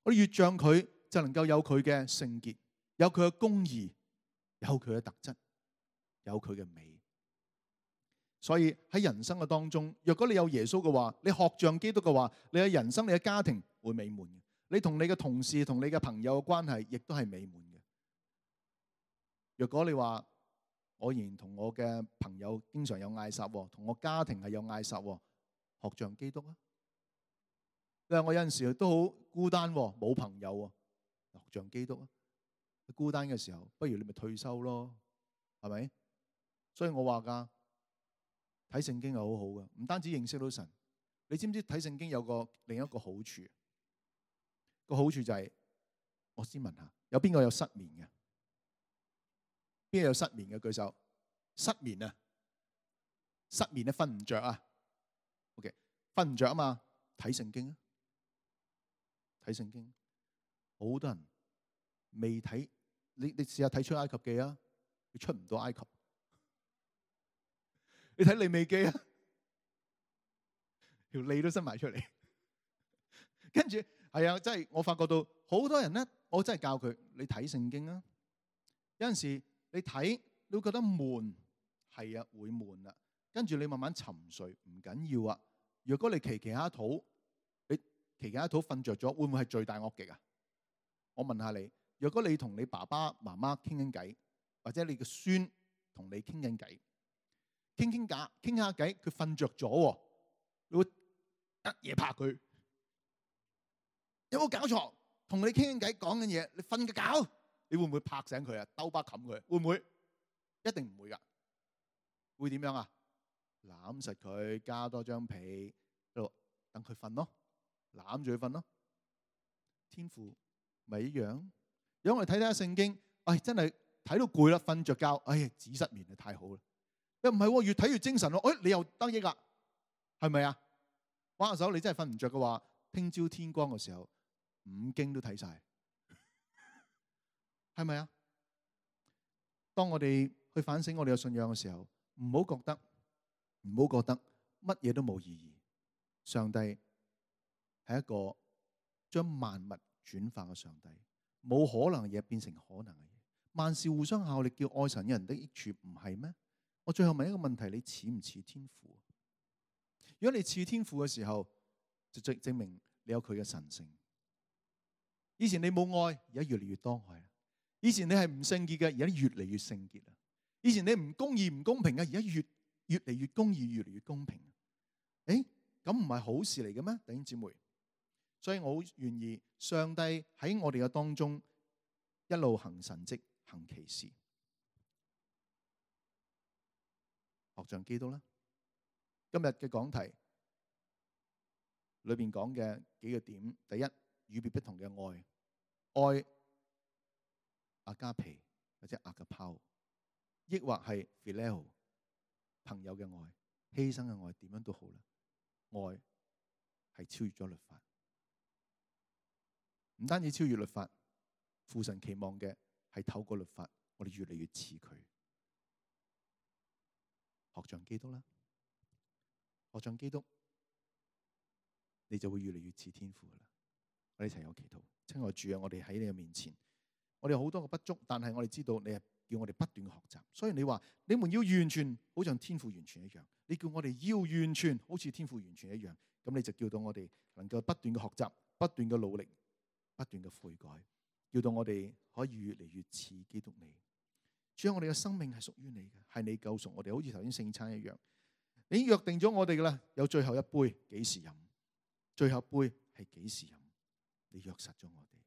我哋越像佢，就能夠有佢嘅聖潔，有佢嘅公義，有佢嘅特質，有佢嘅美。所以喺人生嘅當中，若果你有耶穌嘅話，你學像基督嘅話，你嘅人生、你嘅家庭會美滿嘅。你同你嘅同事、同你嘅朋友嘅關係，亦都係美滿嘅。若果你話我仍然同我嘅朋友經常有嗌霎，同我家庭係有嗌霎，學像基督啊！因為我有陣時都好孤單，冇朋友，學像基督啊！孤單嘅時候，不如你咪退休咯，係咪？所以我話噶，睇聖經係好好嘅，唔單止認識到神。你知唔知睇聖經有個另一個好處？個好處就係，我先問下，有邊個有失眠嘅？邊個有失眠嘅舉手？失眠啊，失眠咧，瞓唔着啊。OK， 瞓唔着啊嘛，睇聖經啊，睇聖經。好多人未睇，你你試下睇出埃及記啊，你出唔到埃及。你睇利未記啊，條脷都伸埋出嚟。跟住係啊，真係我發覺到好多人咧，我真係教佢，你睇聖經啊。有陣時你睇，你會覺得悶，係啊，會悶啊。跟住你慢慢沉睡，唔緊要啊。如果你祈祈下肚，你祈祈下肚瞓着咗，會唔會係罪大惡極啊？我問下你，如果你同你爸爸媽媽傾緊偈，或者你嘅孫同你傾緊偈，傾傾偈，傾下偈，佢瞓着咗，你會一嘢拍佢，有冇搞錯？同你傾緊偈講緊嘢，你瞓個覺，你會唔會拍醒佢啊？兜巴冚佢，會唔會？一定唔會噶。會點樣啊？攬實佢，加多張被，喺度等佢瞓咯，攬住佢瞓咯。天父咪一樣。如果我哋睇睇下聖經，唉、哎，真係睇到攰啦，瞓着覺，唉、哎，止失眠啊，太好啦。又唔係，越睇越精神咯。哎，你又得益啦，係咪啊？玩下手，你真係瞓唔着嘅話，聽朝天光嘅時候，五經都睇晒，係咪啊？當我哋去反省我哋嘅信仰嘅時候，唔好覺得，唔好覺得乜嘢都冇意義。上帝係一個將萬物轉化嘅上帝，冇可能嘅嘢變成可能嘅嘢。萬事互相效力，叫愛神嘅人的益處，唔係咩？我最後問一個問題，你似唔似天父？如果你似天父嘅時候，就證證明你有佢嘅神性。以前你冇愛，而家越嚟越多愛。以前你係唔聖潔嘅，而家越嚟越聖潔。以前你唔公義唔公平嘅，而家越越嚟越公義，越嚟越公平。誒，咁唔係好事嚟嘅咩？弟兄姊妹，所以我好願意上帝喺我哋嘅當中一路行神蹟行奇事，學像基督啦。今日嘅講題裏邊講嘅幾個點，第一，與別不同嘅愛，愛阿加皮或者阿加拋，抑或係 phileo 朋友嘅愛，犧牲嘅愛，點樣都好啦。愛係超越咗律法，唔單止超越律法，父神期望嘅係透過律法，我哋越嚟越似佢，學像基督啦。學像基督，你就會越嚟越似天父噶啦。我哋一齊有祈禱。親愛主啊，我哋喺你嘅面前，我哋有好多嘅不足，但係我哋知道你係叫我哋不斷嘅學習。所以你話你們要完全，好像天父完全一樣。你叫我哋要完全，好似天父完全一樣。咁你就叫到我哋能夠不斷嘅學習，不斷嘅努力，不斷嘅悔改，叫到我哋可以越嚟越似基督你。主啊，我哋嘅生命係屬於你嘅，係你救贖我哋，好似頭先聖餐一樣。你已經約定咗我哋噶啦，有最後一杯，幾時飲？最後一杯係幾時飲？你約實咗我哋，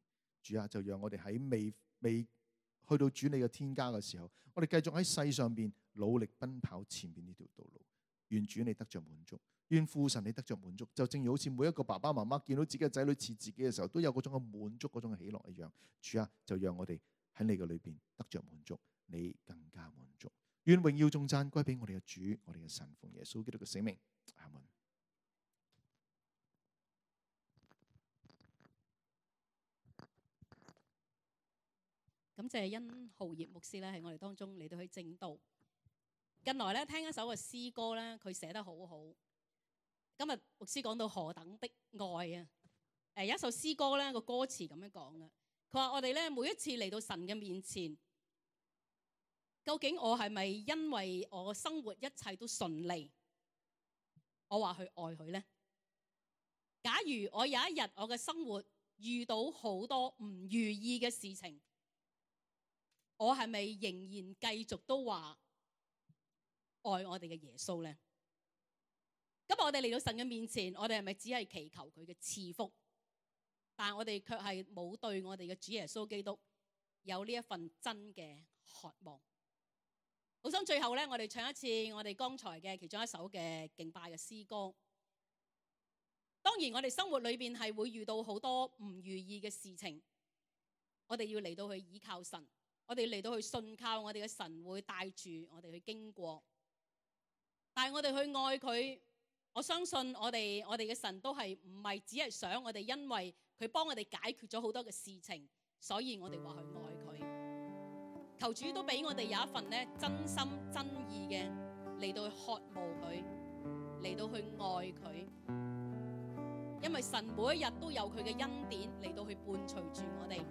主啊，就讓我哋喺未未去到主你嘅天家嘅時候，我哋繼續喺世上邊努力奔跑前面呢條道路。願主你得着滿足，願父神你得着滿足。就正如好似每一個爸爸媽媽見到自己嘅仔女似自己嘅時候，都有嗰種嘅滿足，嗰種嘅喜樂一樣。主啊，就讓我哋喺你嘅裏邊得着滿足，你更加滿足。願榮耀頌讚歸俾我哋嘅主，我哋嘅神，奉耶穌基督嘅聖名，阿門。
感謝殷浩業牧師咧，喺我哋當中嚟到去證道。近來咧聽一首嘅詩歌咧，佢寫得好好。今日牧師講到何等的愛啊！誒，有一首詩歌咧，個歌詞咁樣講嘅，佢話我哋咧每一次嚟到神嘅面前，究竟我係咪因為我生活一切都順利，我話去愛佢呢？假如我有一日我嘅生活遇到好多唔如意嘅事情，我係咪仍然繼續都話愛我哋嘅耶穌呢？今日我哋嚟到神嘅面前，我哋係咪只係祈求佢嘅賜福？但係我哋卻係冇對我哋嘅主耶穌基督有呢一份真嘅渴望。好想最後咧，我哋唱一次我哋剛才嘅其中一首嘅敬拜嘅詩歌。當然我哋生活裏邊係會遇到好多唔如意嘅事情，我哋要嚟到去依靠神，我哋嚟到去信靠我哋嘅神會帶住我哋去經過。但係我哋去愛佢，我相信我哋我哋嘅神都係唔係只係想我哋因為佢幫我哋解決咗好多嘅事情，所以我哋話去愛佢。求主都俾我哋有一份咧真心真意嘅嚟到去渴慕佢，嚟到去愛佢。因為神每一日都有佢嘅恩典嚟到去伴隨住我哋，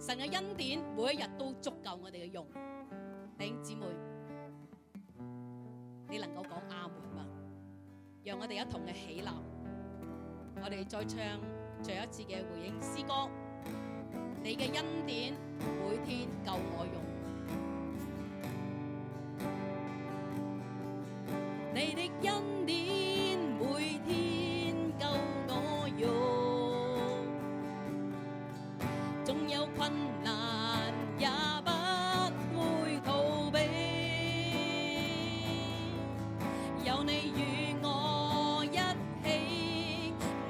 神嘅恩典每一日都足夠我哋嘅用。弟兄姊妹，你能夠講阿門嗎？讓我哋一同嘅起立，我哋再唱最後一次嘅回應詩歌。你嘅恩典每天夠我用，你的恩典每天夠我用，縱有困難也不會逃避，有你與我一起，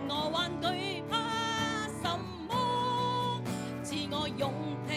我還懼怕什麼？賜我勇氣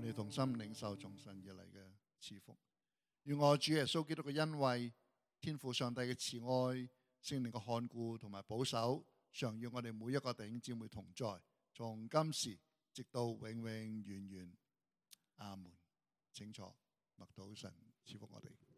我哋同心領受從神而嚟嘅賜福。願我主耶穌基督嘅恩惠、天父上帝嘅慈愛、聖靈嘅看顧同埋保守，常與我哋每一個弟兄姊妹同在，從今時直到永永遠遠。阿門。請坐，默禱神賜福我哋。